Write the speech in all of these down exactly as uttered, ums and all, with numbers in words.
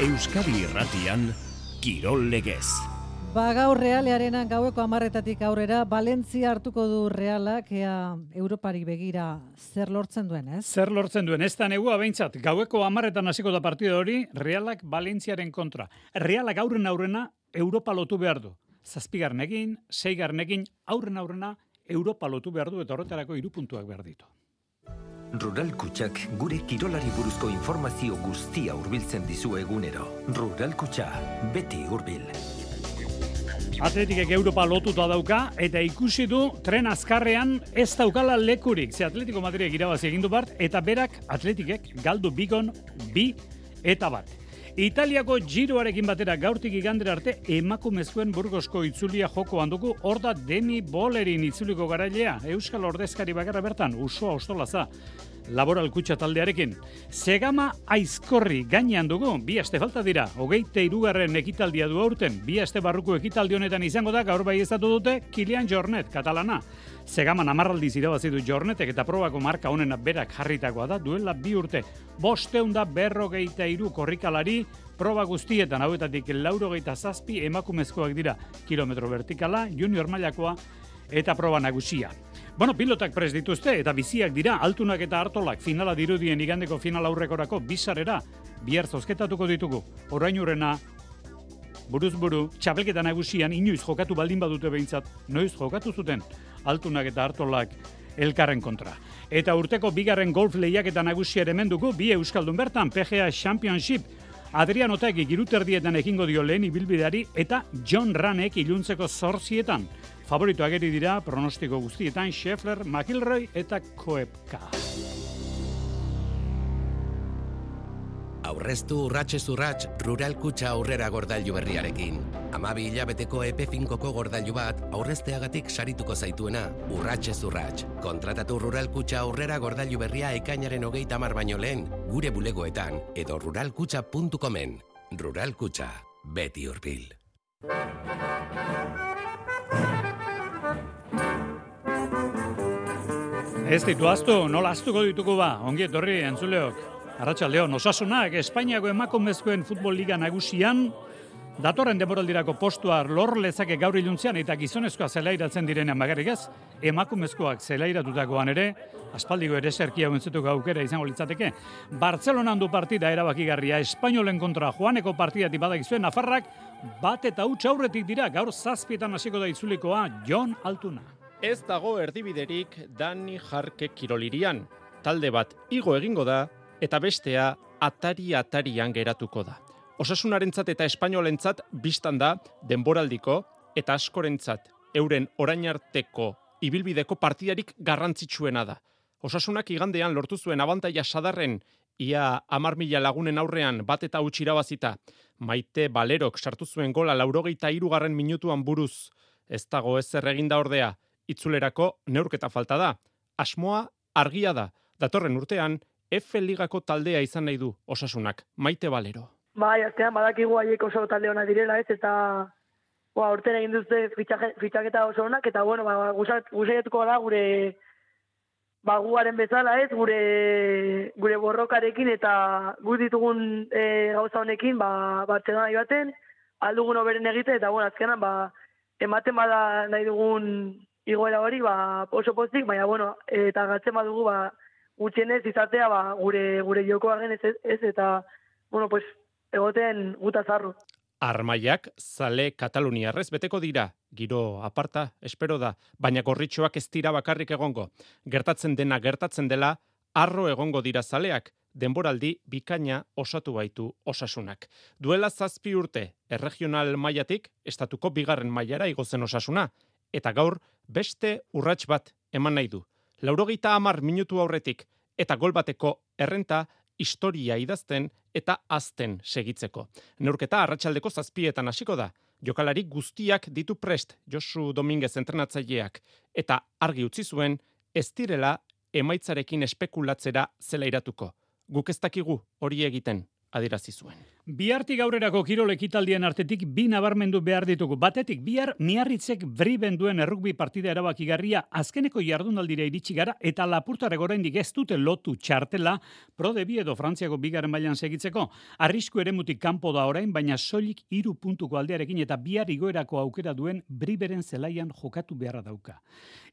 Euskadi Irratian, Kirol Legez. Ba, gaur Realearen gaueko hamarretatik aurrera, Valentzia hartuko du Realak, ea Europari begira zer lortzen duen, ez? Zer lortzen duen, ez da negua behintzat, gaueko hamarretan hasiko da partida hori, Realak Valentziaren kontra. Realak aurren aurrena Europa lotu behar du. Zazpigarnekin, seigarnekin, aurren aurrena Europa lotu behar du eta horretarako hiru puntuak behar ditu. Rural Kutxak gure kirolari buruzko informazio guztia hurbiltzen dizu egunero. Rural Kutxa, beti hurbil. Atletikek Europa lotuta dauka eta ikusi du tren azkarrean ez daukala lekurik. Ze Atletico Madridek irabazi egin du bart eta berak Atletikek galdu bigon bi eta bat. Italiako Giroarekin batera gaurtik igandera arte emakumezkoen Burgosko itzulia jokoan dugu, hor da Demi Bolerin itzuliko garailea, Euskal ordezkari bakarra bertan, Usoa Ostolaza, Laboral Kutxa taldearekin. Segama Aizkorri gainean dugu, bi aste falta dira, hogeite hirugarren ekitaldia du aurten, bi aste barruko ekitaldi honetan izango da, gaur baieztatu dute, Kilian Jornet, katalana. Segaman amarraldiz irabazi du Jornetek eta probako marka honena berak jarritakoa da, duela bi urte. Bosteun da berrogeita hiru korrikalari, proba guztietan hauetatik laurogeita zazpi emakumezkoak dira, kilometro vertikala, junior mailakoa eta proba nagusia. Bueno, pilotak prest dituzte eta biziak dira, Altunak eta Artolak finala dirudien igandeko final aurrekorako bizarrera, bihar zozketatuko ditugu. Orainurrena, buruz buru, txapelketa nagusian inoiz jokatu baldin badute behintzat, noiz jokatu zuten Altunak eta Artolak elkarren kontra. Eta urteko bigarren golf lehiaketa nagusia ere menduko, bi euskaldun bertan, P G A Championship, Adrian Otaegik iruterdietan ekingo dio lehen ibilbideari eta John Ranek iluntzeko zortzietan. Favorito ageri dira pronostiko guztietan Scheffler, McIlroy eta Koepka. Aurreztu urratxez urratx Rural Kutxa aurrera gordailu berriarekin. Hamabi hilabeteko epe finkoko gordailu bat aurrezteagatik sarituko zaituena urratxez urratx. Kontratatu Rural Kutxa aurrera gordailu berria ekainaren hogeita hamar baino lehen gure bulegoetan edo ruralkutxa puntu comen. Rural Kutxa, beti hurbil. Ez ditu aztu, nola aztuko dituko ba, ongi etorri entzuleok. Arratsaldeon, Osasunak Espainiako emakumezkoen futbol liga nagusian datorren denboraldirako postua lor lezake gaur iluntzean eta gizonezkoa zelairatzen direnean bakarrik ez, emakumezkoak zelairatutakoan ere, aspaldiko ere zerkia uentzetuko aukera izango litzateke. Bartzelonan du partida erabakigarria, Espainolen kontra joaneko partidatik badakizuen, Nafarrak bat eta huts aurretik dira, gaur zazpietan hasiko da itzulikoa Jon Altuna. Ez dago erdibiderik Dani Jarke kirolirian. Talde bat igo egingo da eta bestea atari-atarian geratuko da. Osasunarentzat eta espainolentzat bistan da denboraldiko eta askorentzat euren orain arteko ibilbideko partidarik garrantzitsuena da. Osasunak igandean lortu zuen abantaila sadarren ia hamar mila lagunen aurrean bat eta huts irabazita. Maite Balerok sartu zuen gola laurogeita hirugarren minutuan buruz. Ez dago ezer eginda ordea, itzulerako neurketa falta da. Asmoa argia da. Datorren urtean F Ligako taldea izan nahi du Osasunak. Maite Balero. Bai, azkenan badakigu haiek oso talde ona direla, ez, eta ba, urten egin duzte fitxaketa oso onak, eta bueno, ba, guzaiatuko da gure ba, guaren bezala, ez, gure, gure borrokarekin eta gu ditugun e, gauza honekin, ba, Bartzelona ibaten, aldugun oberen egite, eta bueno, azkenan, ba, ematen bada nahi dugun igoera hori, ba, oso pozik, baina bueno, eta gatzen badugu, ba, gutxienez izatea ba, gure gure jokoaren ez, ez eta bueno, pues egoten guta zarru. Armaiak zale kataluniarrez beteko dira, giro aparta, espero da, baina gorritxoak ez dira bakarrik egongo. Gertatzen dena gertatzen dela, arro egongo dira zaleak, denboraldi bikaina osatu baitu Osasunak. Duela zazpi urte, erregional mailatik, estatuko bigarren mailara igozen Osasuna, eta gaur beste urrats bat eman nahi du. Laurogeita hamar minutu aurretik eta gol bateko errenta historia idazten eta azten segitzeko. Neurketa arratsaldeko zazpietan hasiko da. Jokalari guztiak ditu prest Josu Dominguez entrenatzaileak eta argi utzi zuen ez direla emaitzarekin espekulatzera zelairatuko. Guk ez dakigu hori egiten adierazi zuen. Bihartik aurrerako kirol ekitaldien artetik bi nabarmendu behar ditugu. Batetik, bihar Miarritzek Briben duen errugbi partida erabakigarria azkeneko jardunaldira iritsi gara eta Lapurtarrek oraindik ez dute lotu txartela Pro de Bi edo Frantziako bigarren mailan segitzeko. Arrisku eremutik kanpo da orain, baina soilik hiru puntuko aldearekin eta bihar igoerako aukera duen Briberen zelaian jokatu beharra dauka.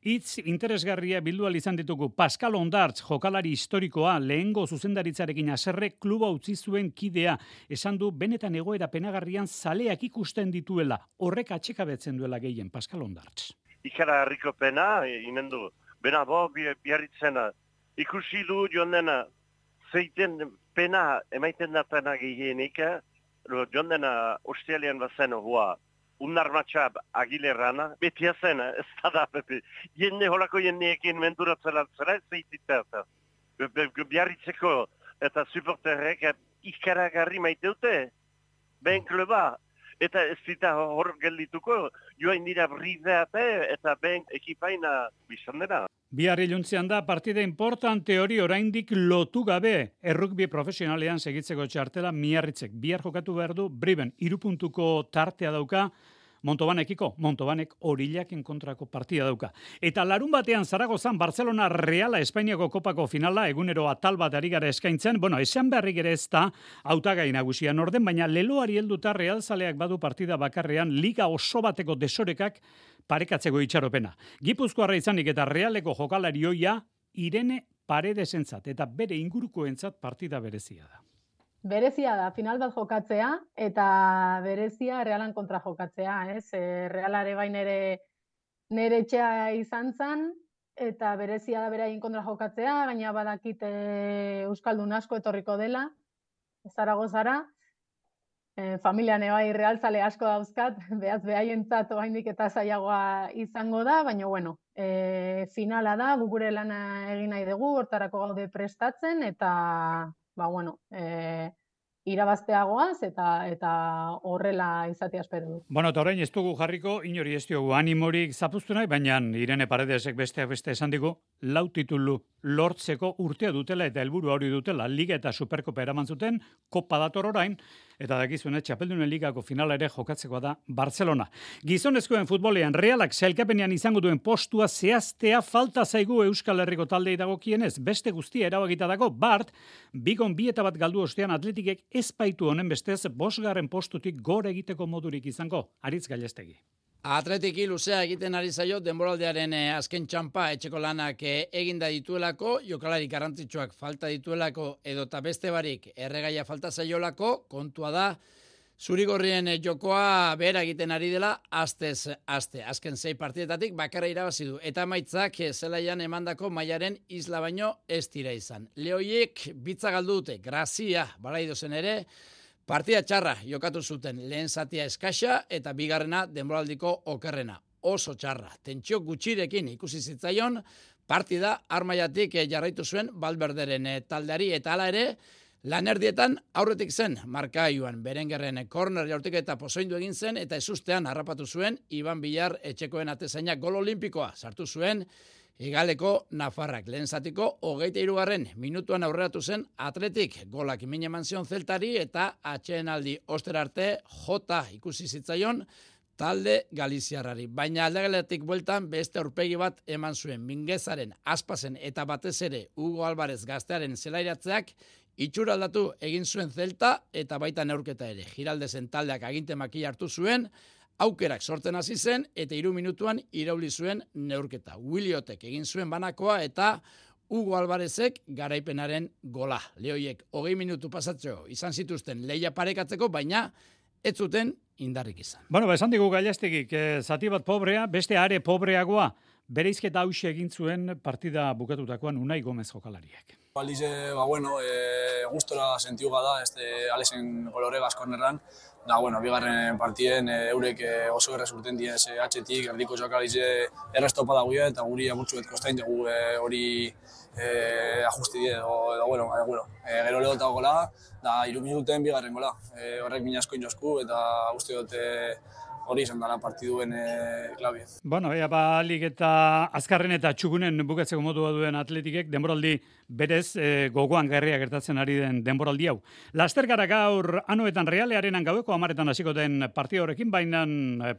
Hitz interesgarria bildu ahal izan ditugu. Pascal Ondartz, jokalari historikoa, lehengo zuzendaritzarekin haserre kluba utzi zuen kidea. Esan du benetan egoera penagarrian zaleak ikusten dituela, horrek atxekabetzen duela gehien, Pascal Ondartz. Ikara harriko pena, inen du, bena bo, biarritzena, ikusi du joan dena, zeiten pena emaiten da pena gehienik, joan dena Australian bazen hua, unarmatxab agilerrana, beti azen, ez da da, pepe, jende holako jendeekin menturatzela zela, ez zeitita, biarritzeko eta supporterrek ikaragarri maite dute, ben kluba, eta ez zita hor geldituko, joain dira brideate eta ben ekipaina bizan dena. Bihar iluntzean da partida importante hori oraindik lotu gabe errugbi profesionalean segitzeko txartela Miarritzek. Bihar jokatu behar du Briben, hiru puntuko tartea dauka, Montobanekiko, Montobanek Orillaken kontrako partida dauka. Eta larun batean Zaragozan Barcelona Reala Espainiako kopako finala egunero atal bat ari gara eskaintzen, bueno, esan beharrik ere ez da hautagai nagusian orden, baina leloari helduta Realzaleak badu partida bakarrean liga oso bateko desorekak parekatzeko itxaropena. Gipuzkoarra izanik eta Realeko jokalari ohia Irene Paredesentzat eta bere ingurukoentzat partida berezia da. Berezia da, final bat jokatzea, eta berezia Realan kontra jokatzea, ez? E, Realare bain ere nere etxea izan zan, eta berezia da beraien kontra jokatzea, gaina badakit e, Euskaldun asko etorriko dela, Zaragozara, e, familian ebai Realzale asko dauzkat, behaz behaientzat oraindik eta zailagoa izango da, baina bueno, e, finala da, gugure lana egin nahi dugu, hortarako gaude prestatzen, eta ba, bueno, e, irabazteagoaz eta eta horrela izatea espero du. Bueno, eta orain ez dugu jarriko, inori ez diogu animorik zapuztu nahi, baina Irene Paredesek besteak beste esan digu, lau titulu lortzeko urtea dutela eta helburu hori dutela, Liga eta Superkopa eraman zuten, Kopa dator orain, eta dakizuen Txapeldunen Ligako finala ere jokatzekoa da Barcelona. Gizonezkoen futbolean Realak sailkapenean izango duen postua zehaztea falta zaigu Euskal Herriko taldei dagokienez, beste guztia erabakita dago, Bart, bigon bi eta bat galdu ostean Atletikek ez baitu honen bestez bosgarren postutik gora egiteko modurik izango, Aritz Gallestegi. Atletiki luzea egiten ari zaio denboraldearen eh, azken txampa etxeko lanak eh, eginda dituelako, jokalari garrantzitsuak falta dituelako edota beste barik erregaia falta zaiolako, kontua da zurigorrien eh, jokoa behera egiten ari dela astez aste. Azken sei partidetatik bakarra irabazi du eta emaitzak eh, zelaian emandako mailaren isla baino ez dira izan. Lehoiek bitza galdu dute, grazia Balaidozen ere, partida txarra jokatu zuten, lehen zatia eskaxa eta bigarrena denboraldiko okerrena. Oso txarra, tentsio gutxirekin ikusi zitzaion, partida armaiatik jarraitu zuen Valverderen taldeari eta hala ere, lanerdietan aurretik zen markailuan Berengerren korner jaurtik eta pozoindu egin zen eta ezustean harrapatu zuen Iban Bilar etxekoen atezainak gol olimpikoa sartu zuen, Igaleko Nafarrak lehen zatiko hogeita hirugarren minutuan aurreratu zen Atletik golak min eman zion Zeltari eta atsedenaldi ostera arte jota ikusi zitzaion talde galiziarrari. Baina aldageletik bueltan beste aurpegi bat eman zuen Mingezaren, Aspasen eta batez ere Hugo Alvarez gaztearen zelairatzeak itxura aldatu egin zuen Zelta eta baita neurketa ere. Giraldesen taldeak aginte makila hartu zuen, aukerak sortzen hasi zen eta hiru minutuan irauli zuen neurketa. Williotek egin zuen banakoa eta Hugo Alvarezek garaipenaren gola. Lehoiek hogei minutu pasatzeko izan zituzten leia parekatzeko, baina ez zuten indarrik izan. Bueno, ba, esan digu Gallastegik, eh, zati bat pobrea, beste are pobreagoa, bereizketa hauxe egin zuen partida bukatutakoan Unai Gomez jokalariak. Aldiz, ba, bueno, e, gustora sentiuga da, este Alesen golorregaz kornerran, da, bueno, bigarren partien e, eurek e, oso errez urten diez e, atxetik, erdiko jokalariz errestopa dagoia, eta guri amurtzuet kostain dugu e, hori e, ajusti die, edo, edo, bueno, e, bueno e, gero lehota gola, da, iru minuten bigarren gola, e, horrek minasko inozku, eta uste dut, e, hori izan dela partiduen e, klabia. Bueno, ea ba, alik eta azkarren eta txugunen bukatzeko modua duen Atletikek, denboraldi berez e, gogoan garria gertatzen ari den denboraldi hau. Laster gara gaur anoetan Realearenan gaueko amaretan hasiko den partida horrekin, baina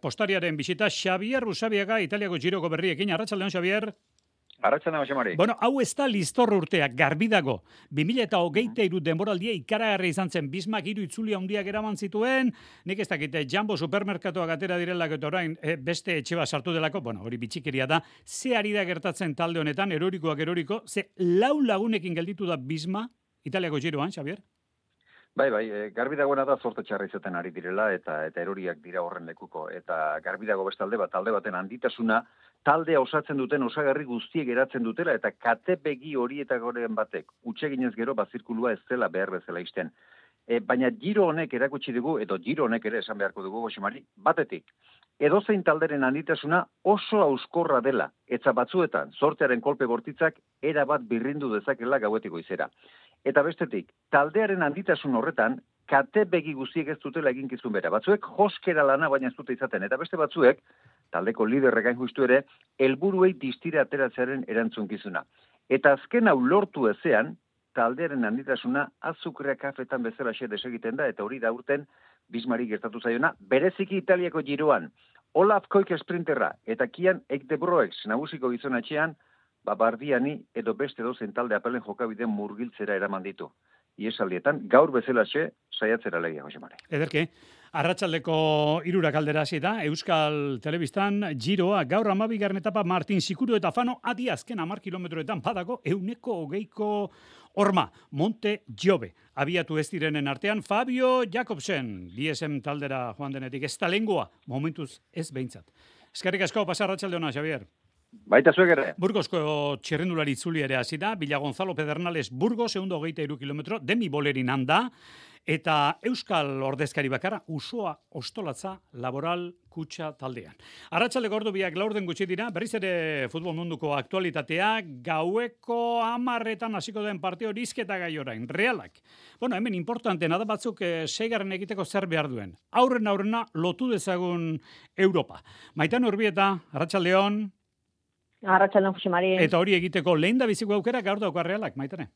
postariaren bisita Xabier Usabiaga, Italiako Giroko berriekin. Arratsaldeon, Xabier. Arratsaldeon, Xamari. Bueno, hau ez da listor urteak, garbi dago. bi mila hogeita hiru denboraldia ikaragarri izan zen, Bismak hiru itzuli handiak eraman zituen, nik ez dakite, Jambo supermerkatuak atera direlak eta orain e, beste etxe bat sartu delako, bueno, hori bitxikeria da, ze ari da gertatzen talde honetan, erorikoak eroriko, ze lau lagunekin gelditu da Bisma, Italiako Giroan, Xabier? Bai, bai, e, garbi dagoena da zorte txarra izaten ari direla eta eta eroriak dira horren lekuko. Eta garbi dago bestalde bat, talde baten handitasuna, taldea osatzen duten osagarri guztiek eratzen dutela eta kate begi horietakoren batek utseginez gero bazirkulua ez dela behar bezala isten. E, baina Giro honek erakutsi dugu, edo Giro honek ere esan beharko dugu, Josemari, batetik, edozein talderen handitasuna oso auskorra dela, eta batzuetan, zortearen kolpe bortitzak erabat birrindu dezakela gauetiko izera. Eta bestetik, taldearen handitasun horretan, kate begi guztiek ez dutela eginkizun bera. Batzuek joskera lana baina ez dute izaten, eta beste batzuek, taldeko liderrek hain justu ere, helburuei distira ateratzearen erantzunkizuna. Eta azken hau lortu ezean, taldearen handitasuna azukrea kafetan bezala xe desegiten da, eta hori da urten Bismari gertatu zaiona, bereziki Italiako Giroan, Olaf Koik sprinterra, eta Kian Ekdebroeks nagusiko gizonatxean, Babardiani edo beste dozen talde apelen jokabideen murgiltzera eraman ditu. Iesaldietan, gaur bezalaxe, saiatzera legia, Josemare. Ederki, arratsaldeko hirurak aldera hasi da, Euskal Telebistan, Giroa, gaur hamabigarren etapa Martin Sikuru eta Fano, adi azken hamar kilometroetan padako, euneko hogeiko horma, Monte Jove. Abiatu ez direnen artean, Fabio Jakobsen, D S M taldera joan denetik, ez da lengua, momentuz ez behintzat. Eskerrik asko, pasa arratsalde ona, Xabier. Baita zuek ere. Burgosko txirrendulari itzuli ere hasi da, Villa Gonzalo Pedernales Burgos, ehun eta hogeita hiru kilometro, Demi Bolerin handa, eta Euskal ordezkari bakarra, Usoa Ostolatza Laboral Kutxa taldean. Arratsaldeko ordu biak laurden gutxi dira, berriz ere futbol munduko aktualitatea, gaueko hamarretan hasiko den partio hizketa gai orain, Realak. Bueno, hemen importantena da batzuk e, seigarren egiteko zer behar duen. Aurren aurrena lotu dezagun Europa. Maitan Urbieta, arratsaldeon. Arratsaldeon, Josemari. Eta hori egiteko lehen da biziko aukera gaur dauka Realak, Maitane.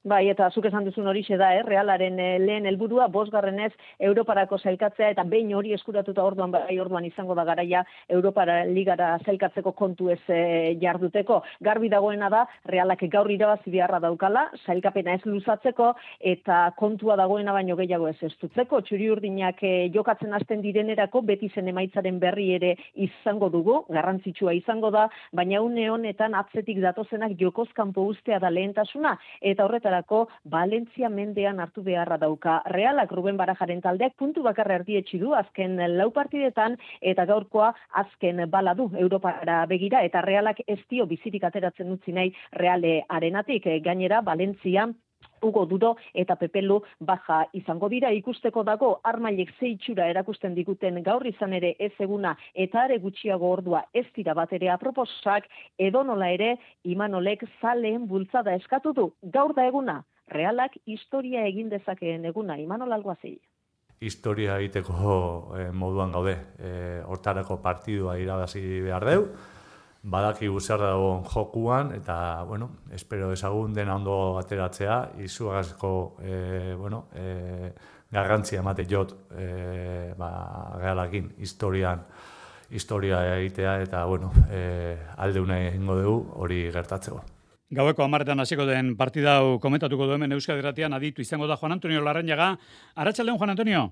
Bai, eta zuk esan duzun horixe da, eh? Realaren eh, lehen helburua bosgarrenez Europarako sailkatzea, eta behin hori eskuratuta orduan, bai orduan izango da garaia Europara ligara sailkatzeko kontu ez eh, jarduteko. Garbi dagoena da, Realak gaur irabazi beharra daukala, sailkapena ez luzatzeko, eta kontua dagoena baino gehiago ez estutzeko. Txuri urdinak eh, jokatzen hasten direnerako, beti zen emaitzaren berri ere izango dugu, garrantzitsua izango da, baina une honetan atzetik datozenak jokozkanpo ustea da lehentasuna, eta horretara Valentzia mendean hartu beharra dauka. Realak Ruben Barajaren taldeak puntu bakarra erdietsi du azken lau partidetan eta gaurkoa azken bala du Europara begira eta Realak ez dio bizirik ateratzen utzi nahi Reale arenatik. Gainera Valentzia Hugo Duro eta Pepelu baja izango dira, ikusteko dago armailek ze itxura erakusten diguten gaur izan ere ez eguna eta are gutxiago ordua ez dira bat ere aproposak, edonola ere Imanolek zaleen bultzada eskatu du. Gaur da eguna, Realak historia egin dezakeen eguna, Imanol Alguazil. Historia egiteko eh, moduan gaude, eh, hortarako partidua irabazi behar deu, badaki zer dago jokuan, eta, bueno, espero ezagun dena ondo ateratzea, izugarrizko, e, bueno, e, garrantzia emate jot, e, ba, Realakin, historian, historia egitea, eta, bueno, e, aldeuna egingo dugu hori gertatzeko. Gaueko hamarretan hasiko den partida hau komentatuko du hemen Euskadi Irratian aditu izango da Juan Antonio Larrañaga. Arratsaldeon, Juan Antonio.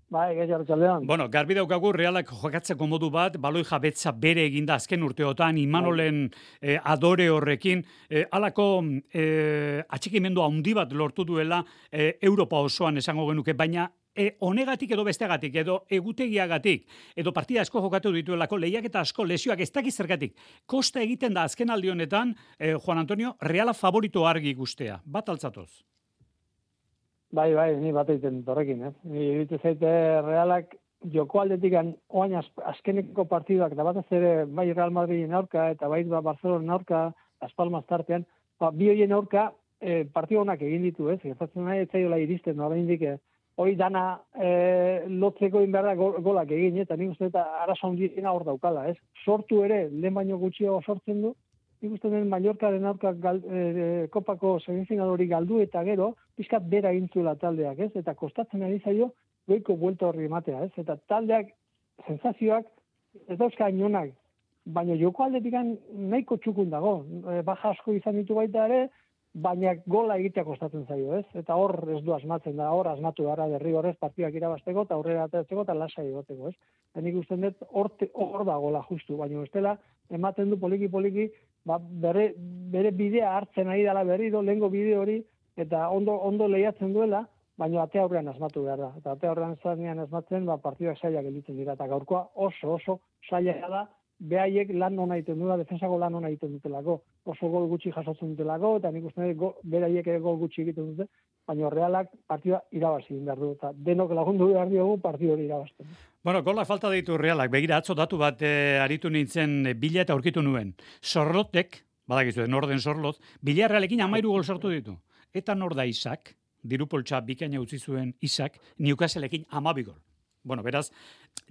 Bai, gaiz arratsaldeon. Bueno, garbi daukagu Realak jokatzeko modu bat, baloi jabetza bere eginda azken urteotan, Imanolen eh, adore horrekin, eh, alako eh, atxikimendu handi bat lortu duela eh, Europa osoan esango genuke, baina E, honegatik edo bestegatik, edo egutegiagatik, edo partida asko jokatu dituelako, lehiak eta asko lesioak ez dakiz zergatik. Kosta egiten da azken aldi honetan, eh, Juan Antonio, Reala favorito argi ikustea. Bat altzatoz? Bai, bai, ni bat egiten horrekin, eh? Ni ditu zaite Realak joko aldetik oain azkeneko partiduak, da batez ere bai Real Madridin aurka, eta bai Barcelona aurka, Las Palmas tartean, ba, bi horien aurka eh, partidu honak egin ditu, ez? Gertatzen nahi, ez zaiola iristen, no, oraindik hori dana e, lotzeko inberda golak egin, eta nik uste eta arazo handiena hor daukala, ez? Sortu ere, lehen baino gutxiago sortzen du, nik uste den Mallorcaren aurka gal, e, kopako semifinal hori galdu eta gero, pizkat bera egintzuela taldeak, ez? Eta kostatzen ari zaio, goiko buelta horri ematea, ez? Eta taldeak, sensazioak, ez dauzka inonak, baina joko aldetik nahiko txukun dago, e, baja asko izan ditu baita ere, baina gola egitea kostatzen zaio, ez? Eta hor ez du asmatzen da, hor asmatu gara derrigorrez partidak irabazteko eta aurrera ateratzeko eta lasai egoteko, ez? Eta nik uste dut hor, hor da gola justu, baina bestela ematen du poliki-poliki ba, bere, bere bidea hartzen ari dela berriro, lehengo bide hori, eta ondo, ondo lehiatzen duela, baina ate aurrean asmatu behar da. Eta ate aurrean zanean asmatzen, ba, partidak sailak gelditzen dira, eta gaurkoa oso oso saila da, behaiek lan hona egiten dula, defensako lan hona egiten dutelako. Oso gol gutxi jasotzen dutelako, eta nik uste dut beraiek ere gol gutxi egiten dute, baina Realak partida irabazi egin behar du, eta denok lagundu behar diogu partidu hori irabazten. Bueno, gola falta ditu Realak, begira atzo datu bat e, aritu nintzen e, bila eta aurkitu nuen. Sorlotek, badakizu, norden Sorlot, bila Realekin amairu gol sortu ditu. Eta nor da Isak, dirupoltsa bikaina utzi zuen Isak, Newcastleekin amabi gol. Bueno, beraz,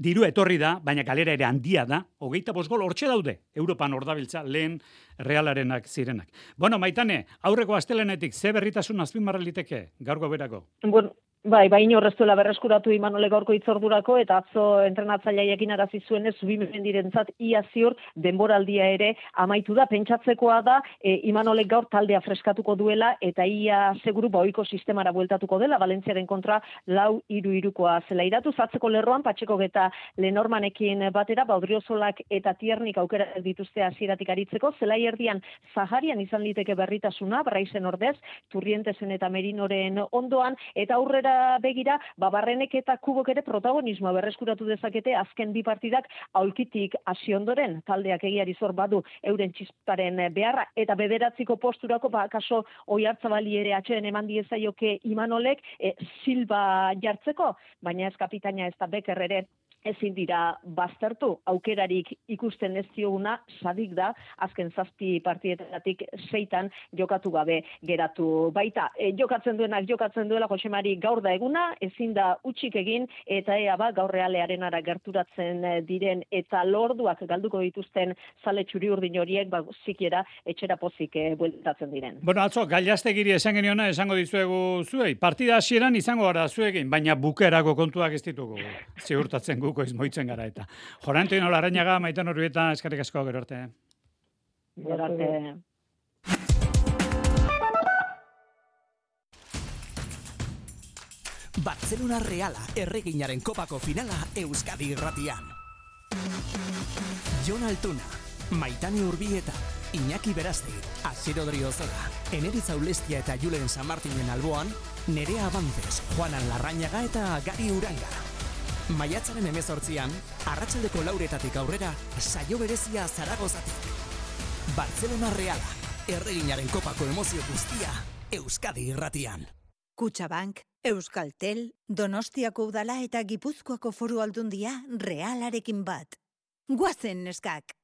diru etorri da, baina galera ere handia da, hogeita bost gol hortxe daude, Europan ordabiltza lehen Realarenak zirenak. Bueno, Maitane, aurreko astelenetik ze berritasun azpimarra liteke, gaurko berako? Bueno, bai, bai inorreztuela berreskuratu Imanole gaurko hitzordurako, eta atzo entrenatzaileekin arazi zuenez, Zubimendirentzat ia ziur denboraldia ere amaitu da, pentsatzekoa da, e, Imanole gaur taldea freskatuko duela, eta ia seguru ohiko sistemara bueltatuko dela, Valentziaren kontra lau hiru hirukoa zela iratu, zatzeko lerroan, Patxeko eta Lenormanekin batera, Baudriozolak eta Tiernik aukera dituzte hasieratik aritzeko, zelai erdian Zaharian izan liteke berritasuna, Braizen ordez, Turrientesen eta Merinoren ondoan, eta aurrera begira, Babarrenek eta Kubok ere protagonismoa berreskuratu dezakete azken bi partidak aulkitik hasi ondoren, taldeak egiari zor badu euren txisparen beharra, eta bederatziko posturako, ba, kaso Oiartzabali ere atxeden eman diezaioke Imanolek, e, Silva jartzeko, baina ez kapitaina ez da Becker ere ezin dira baztertu, aukerarik ikusten ez dioguna, sadik da, azken zazpi partietatik seitan jokatu gabe geratu baita. E, jokatzen duenak jokatzen duela, Josemari gaur da eguna, ezin da utxik egin, eta ea ba, gaur Realearenara gerturatzen diren, eta lorduak galduko dituzten zale txuri urdin horiek, ba, zikiera etxera pozik e, bueltatzen diren. Bueno, atzo, Gallaztegiri esan geniona, esango dizuegu zuei, partida hasieran izango gara zuekin, baina bukerako kontuak ez ditugu, ziurtatzen guko izmoitzen gara eta. Jorantino Larrañaga, Maitan Urbieta, eskerrik asko, gero arte. Gero arte. Barcelona Reala, erreginaren kopako finala Euskadi irratian. Jon Altuna, Maitane Urbieta, Iñaki Berazte, Asier Odriozola, Eneritza Ulestia eta Julen San Martinen alboan, Nerea Abantes, Juanan Larrañaga eta Gari Uranga. Maiatzaren hemezortzian, arratsaldeko lauretatik aurrera, saio berezia Zaragozatik. Barcelona Reala, erreginaren kopako emozio guztia, Euskadi irratian. Kutxabank, Euskaltel, Donostiako udala eta Gipuzkoako foru aldundia Realarekin bat. Guazen neskak!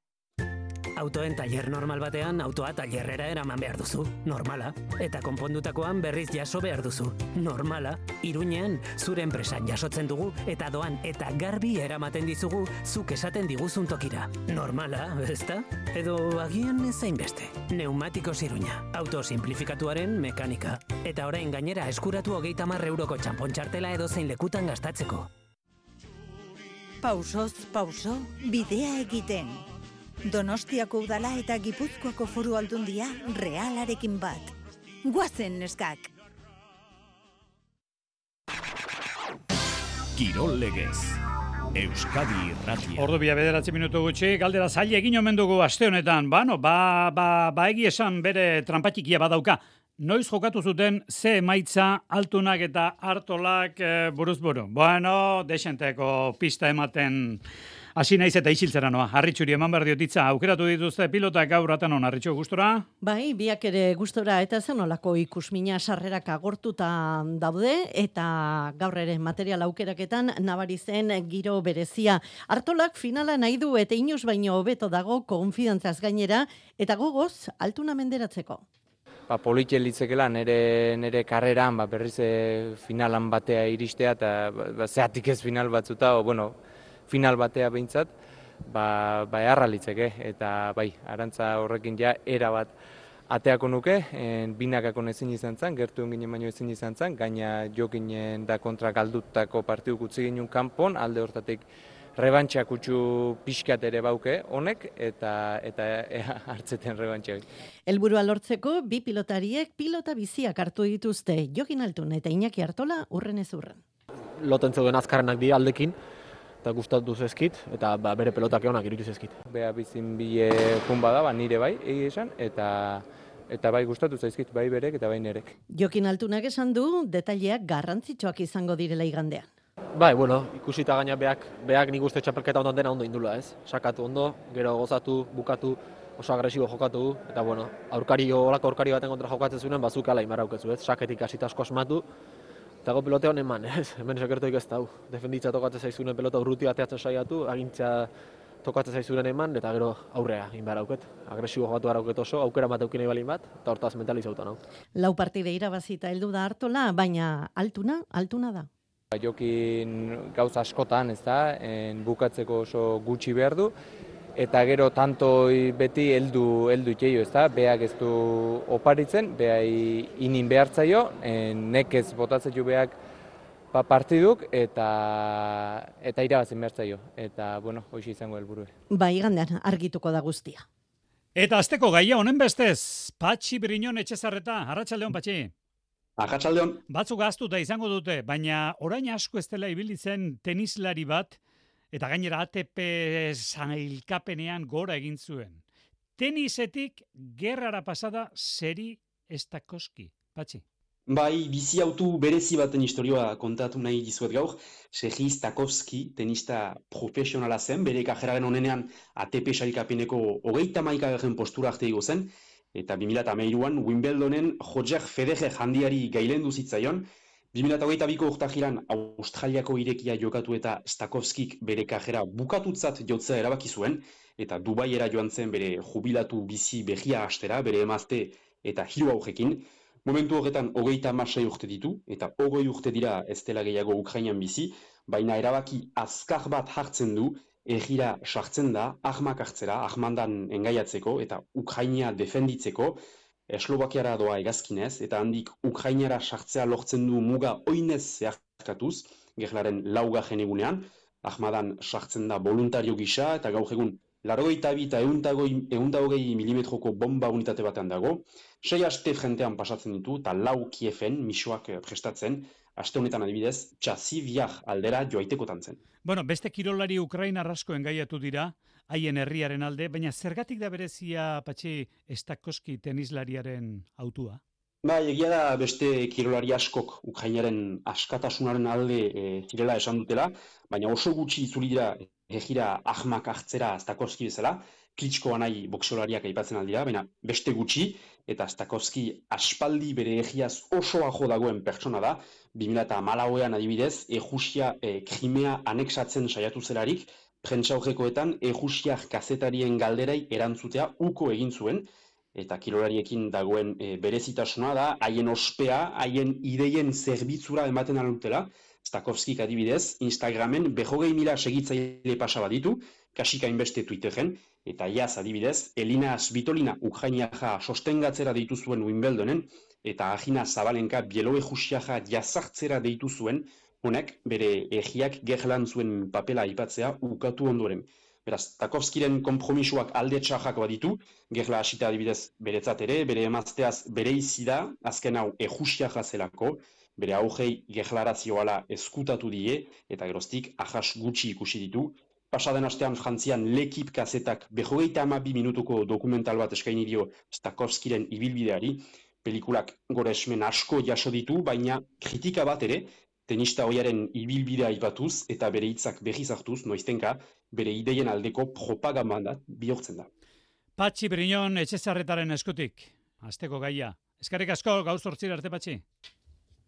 Autoen tailer normal batean, autoa tailerrera eraman behar duzu. Normala. Eta konpondutakoan berriz jaso behar duzu. Normala. Iruñean, zure enpresan jasotzen dugu, eta doan eta garbi eramaten dizugu, zuk esaten diguzun tokira. Normala, ezta? Edo agian ezain beste. Neumatikos Iruña. Auto simplifikatuaren mekanika. Eta orain gainera eskuratu hogeita hamar euroko txanpontxartela edo zein lekutan gastatzeko. Pausoz, pauso, bidea egiten. Donostiako udala eta Gipuzkoako foru aldundia Realarekin bat. Guazen neskak! Kirol legez. Euskadi irratia. Ordu bia bederatzi minutu gutxi, galdera zaila egin omen dugu aste honetan. Bano, ba, ba, ba egi esan bere trampatikia badauka. Noiz jokatu zuten ze emaitza Altunak eta Artolak e, buruz buru. Bueno, desenteko pista ematen hasi naiz eta isiltzera noa. Harritxuri eman behar diotitza, aukeratu dituzte pilotak gaur atan hon, Harritxu, gustora? Bai, biak ere gustora eta zen olako ikusmina sarrerak agortuta daude eta gaur ere material aukeraketan nabari zen giro berezia. Artolak finala nahi du eta inoz baino hobeto dago konfidantzaz gainera eta gogoz Altuna menderatzeko. ba, politxe litzekela nire, nire karreran ba, berriz e, finalan batea iristea, eta ba, ba, zeatik ez final batzuta, o, bueno, final batea behintzat, ba, ba eharra litzeke, eta bai, arantza horrekin ja era bat ateako nuke, en, binakako ezin izan zen, gertu ginen baino ezin izan zen, gaina jokinen da kontra galdutako partidu utzi ginen kanpon, alde hortatik rebantxa kutsu pixkat ere bauke honek, eta eta ea, hartzeten rebantxa. Helburua lortzeko, bi pilotariek pilota biziak hartu dituzte, Jokin Altun eta Iñaki Artola urren ez urren. Loten zeuden azkarrenak di aldekin, eta gustatu zezkit, eta ba, bere pelotak egonak irutu zezkit. Bea bizin bile jun bada, ba, nire bai, egi esan, eta eta bai gustatu zaizkit, bai berek eta bai nerek. Jokin Altunak esan du, detaileak garrantzitsuak izango direla igandean. Bai, bueno, ikusita gaina beak, beak nik uste txapelketa ondo dena ondo indula, ez? Sakatu ondo, gero gozatu, bukatu, oso agresibo jokatu, eta bueno, aurkari, olako aurkari baten kontra jokatzen zuen, bazuk ala imarraukezu, ez? Saketik hasita asko asmatu, eta go pelote honen eman, ez? Hemen sekertoik ez dau. Defenditza tokatzen zaizunen pelota urruti bateatzen saiatu, agintza tokatzen zaizunen eman, eta gero aurrea inbarauket. Agresibo jokatu arauket oso, aukera bat eukin balin bat, eta hortaz mentalizauta nau. Lau partide irabazita heldu da Artola, baina altuna, altuna da. Jokin gauza askotan, ez da, en, bukatzeko oso gutxi behar du, eta gero tantoi beti heldu heldu itxeio, ez da, beak ez du oparitzen, behai inin behartzaio, nekez botatzen ju beak ba, partiduk, eta eta irabazin behartzaio, eta, bueno, hoxe izango helburu. Ba, igandean argituko da guztia. Eta azteko gaia honen bestez, Patxi Briñon Etxezarreta, arratsaldeon Patxi. Arratsaldeon. Batzuk gaztuta izango dute, baina orain asko ez dela ibili zen tenislari bat, eta gainera A T P sailkapenean gora egin zuen. Tenisetik gerrara pasada Seri Stakowski. Patxi. Bai, bizi autu berezi baten historioa kontatu nahi dizuet gaur. Seri Stakowski, tenista profesionala zen, bere kajeraren onenean A T P sailkapeneko hogeita hamaikagarren postura arte igo zen, eta bi mila hamairuan Wimbledonen Roger Federer handiari gailendu zitzaion, bi mila hogeita biko urtahiran Australiako irekia jokatu eta Stakowskik bere kajera bukatutzat jotzea erabaki zuen, eta Dubaiera joan zen bere jubilatu bizi behia hastera, bere emazte eta hiru aurrekin. Momentu horretan hogeita hamasei urte ditu, eta hogei urte dira ez dela gehiago Ukrainan bizi, baina erabaki azkar bat hartzen du, egira sartzen da, ahmak hartzera, ahmandan engaiatzeko eta Ukraina defenditzeko, Eslovakiara doa egazkinez, eta handik Ukrainara sartzea lortzen du muga oinez zeharkatuz, gerlaren laugarren egunean, ahmadan sartzen da voluntario gisa, eta gaur egun largoita bi eta ehun hogei milimetroko bomba unitate batean dago, sei aste frentean pasatzen ditu, eta lau Kiefen misuak prestatzen, aste honetan adibidez, Txasiviar aldera joaitekotan zen. Bueno, beste kirolari Ukrainar asko engaiatu dira, haien herriaren alde, baina zergatik da berezia Patxi Stakowski tenislariaren autua? Ba, egia da beste kirolari askok Ukrainaren askatasunaren alde e, zirela esan dutela, baina oso gutxi itzuli dira egira ahmak hartzera Stakowski bezala, Klitschko nahi boxeolariak aipatzen aldira, baina beste gutxi, eta Stakowski aspaldi bere egiaz oso ajo dagoen pertsona da, bi mila hamalauean adibidez, Errusia e, Krimea anexatzen saiatu zelarik, prentsaurrekoetan Errusiak kazetarien galderai erantzutea uko egin zuen, eta kirolariekin dagoen e, berezitasuna da, haien ospea, haien ideien zerbitzura ematen alutela, Stakowskik adibidez, Instagramen berrogei mila segitzaile pasa baditu, kasika inbeste Twitteren, eta iaz adibidez, Elina Svitolina Ukrainiaja sostengatzera deitu zuen Wimbledonen, eta Agina Zabalenka Bielorusiaja jazartzera deitu zuen, honek bere egiak gerlan zuen papela aipatzea ukatu ondoren. Beraz, Stakowskiren konpromisoak alde txarrak baditu, gerla hasita adibidez beretzat ere, bere emazteaz bere izi da, azken hau Errusiaja zelako, bere augei gerlarazioala eskutatu die, eta geroztik ahas gutxi ikusi ditu. Pasaden astean Frantzian L'Equipe kazetak berrogeita hamabi minutuko dokumental bat eskaini dio Stakowskiren ibilbideari, pelikulak goresmen asko jaso ditu, baina kritika bat ere, tenista hoiaren ibilbidea aipatuz eta bere hitzak berriz hartuz, noiztenka, bere ideien aldeko propaganda bihurtzen da. Patxi Briñon Etxezarretaren eskutik, asteko gaia. Eskerrik asko, gaur zortzira arte, Patxi.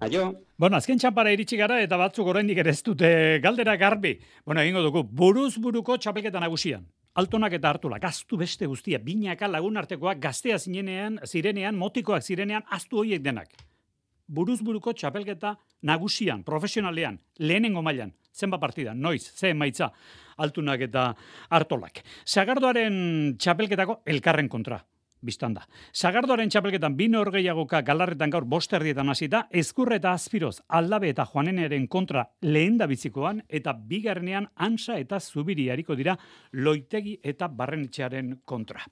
Aio. Bueno, azken txampara iritsi gara eta batzuk oraindik ere ez dute galdera garbi. Bueno, egingo dugu, buruz buruko txapelketa nagusian. Altonak eta Artolak, aztu beste guztia, binaka lagunartekoak gaztea zinenean, zirenean, motikoak zirenean, aztu horiek denak. Buruz-buruko txapelketa nagusian, profesionalean, lehenengo mailan, zenba partida, noiz, ze emaitza, Altunak eta Artolak. Sagardoaren txapelketako elkarren kontra. Bistan da. Sagardoaren txapelketan bine horgeiagoka galarretan gaur bosterdietan hasita, Ezkurre eta Azpiroz, Aldabe eta Juaneneren kontra lehen da bizikoan, eta bigarrenean Ansa eta Zubiri hariko dira Loitegi eta Barrenetxearen kontra.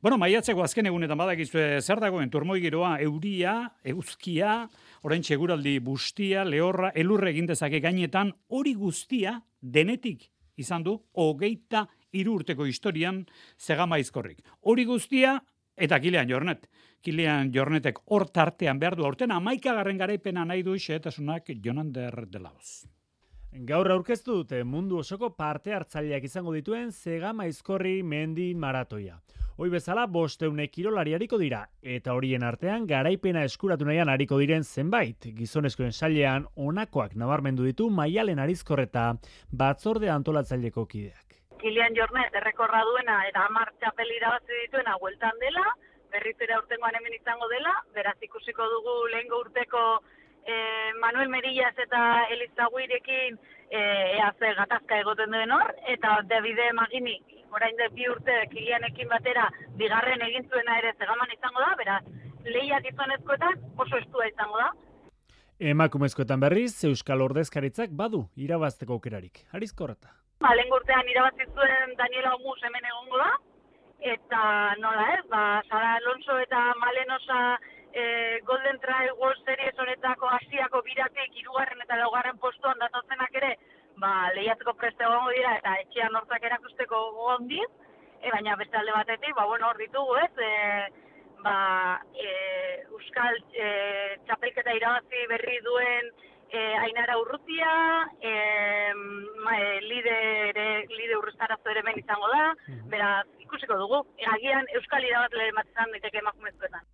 Bueno, maiatzeko azken egunetan badakizue zer dagoen turmoi giroa, euria, euzkia, orain txeguraldi bustia, lehorra, elurre egin dezake gainetan, hori guztia denetik izan du hogeita hiru urteko historian Zegama Aizkorrik. Hori guztia eta Kilian Jornet. Kilian Jornetek hor tartean behar du aurten hamaikagarren garaipena nahi du xehetasunak Jonander de Laos. Gaur aurkeztu dute mundu osoko parte hartzaileak izango dituen Zegama Aizkorri mendi maratoia. Hoi bezala bosteune kirolari hariko dira, eta horien artean garaipena eskuratu nahian hariko diren zenbait. Gizonezkoen sailean honakoak nabarmendu ditu Maialen Arizkorreta batzorde antolatzaileko kideak. Kilian Jornet errekorra duena eta hamar txapel irabazi dituena bueltan dela, berriz ere aurtengoan hemen izango dela, beraz ikusiko dugu lehengo urteko eh, Manuel Merillas eta Elizaguirekin eh, ea ze gatazka egoten duen hor, eta Davide Magini, orain de bi urte Kilianekin batera bigarren egin zuena ere Zegaman izango da, beraz lehiak gizonezkoetan oso estua izango da. Emakumezkoetan berriz, Euskal Ordezkaritzak badu irabazteko aukerarik. Arizkorreta. Ba, lehen urtean irabazi zuen Daniela Omus hemen egongo da, eta nola ez, ba, Sara Alonso eta Malenosa e, Golden Trail World Series honetako Asiako biratik hirugarren eta laugarren postuan datozenak ere, ba, lehiatzeko preste egongo dira eta etxean hortzak erakusteko gondiz, e, baina beste alde batetik, ba, bueno, hor ditugu ez, e, ba, e, Euskal e, txapelketa irabazi berri duen Eh, Ainara Urrutia, eh, ma, eh, lide, lide urrestarazo ere ben izango da, beraz ikusiko dugu, agian Euskal irabazle ematzen daiteke emakumezkoetan.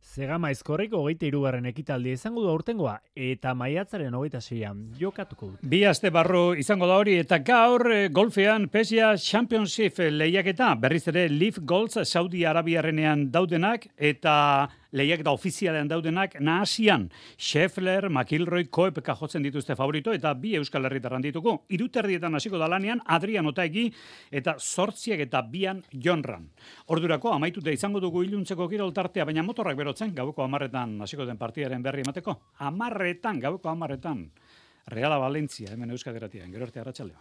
Zegama Aizkorrik hogeita hirugarren ekitaldia izango du aurtengoa eta maiatzaren hogeita seian jokatuko dut. Bi aste barru izango da hori eta gaur golfean P G A Championship lehiaketa berriz ere Leaf Golf Saudi Arabiarrenean daudenak eta lehiaketa ofizialean daudenak nahasian Scheffler, McIlroy, Koepka jotzen dituzte favorito eta bi Euskal Herritarran dituko. Iruterdietan hasiko da lanean Adrian Otaegi eta zortziak eta bian Jonran. Ordurako amaituta izango dugu iluntzeko kirol tartea, baina motorrak berotzen gaueko hamarretan hasiko den partidaren berri emateko. Hamarretan, gaueko hamarretan. Reala Valentzia, hemen Euskadi Irratian, gero arte arratsaldean.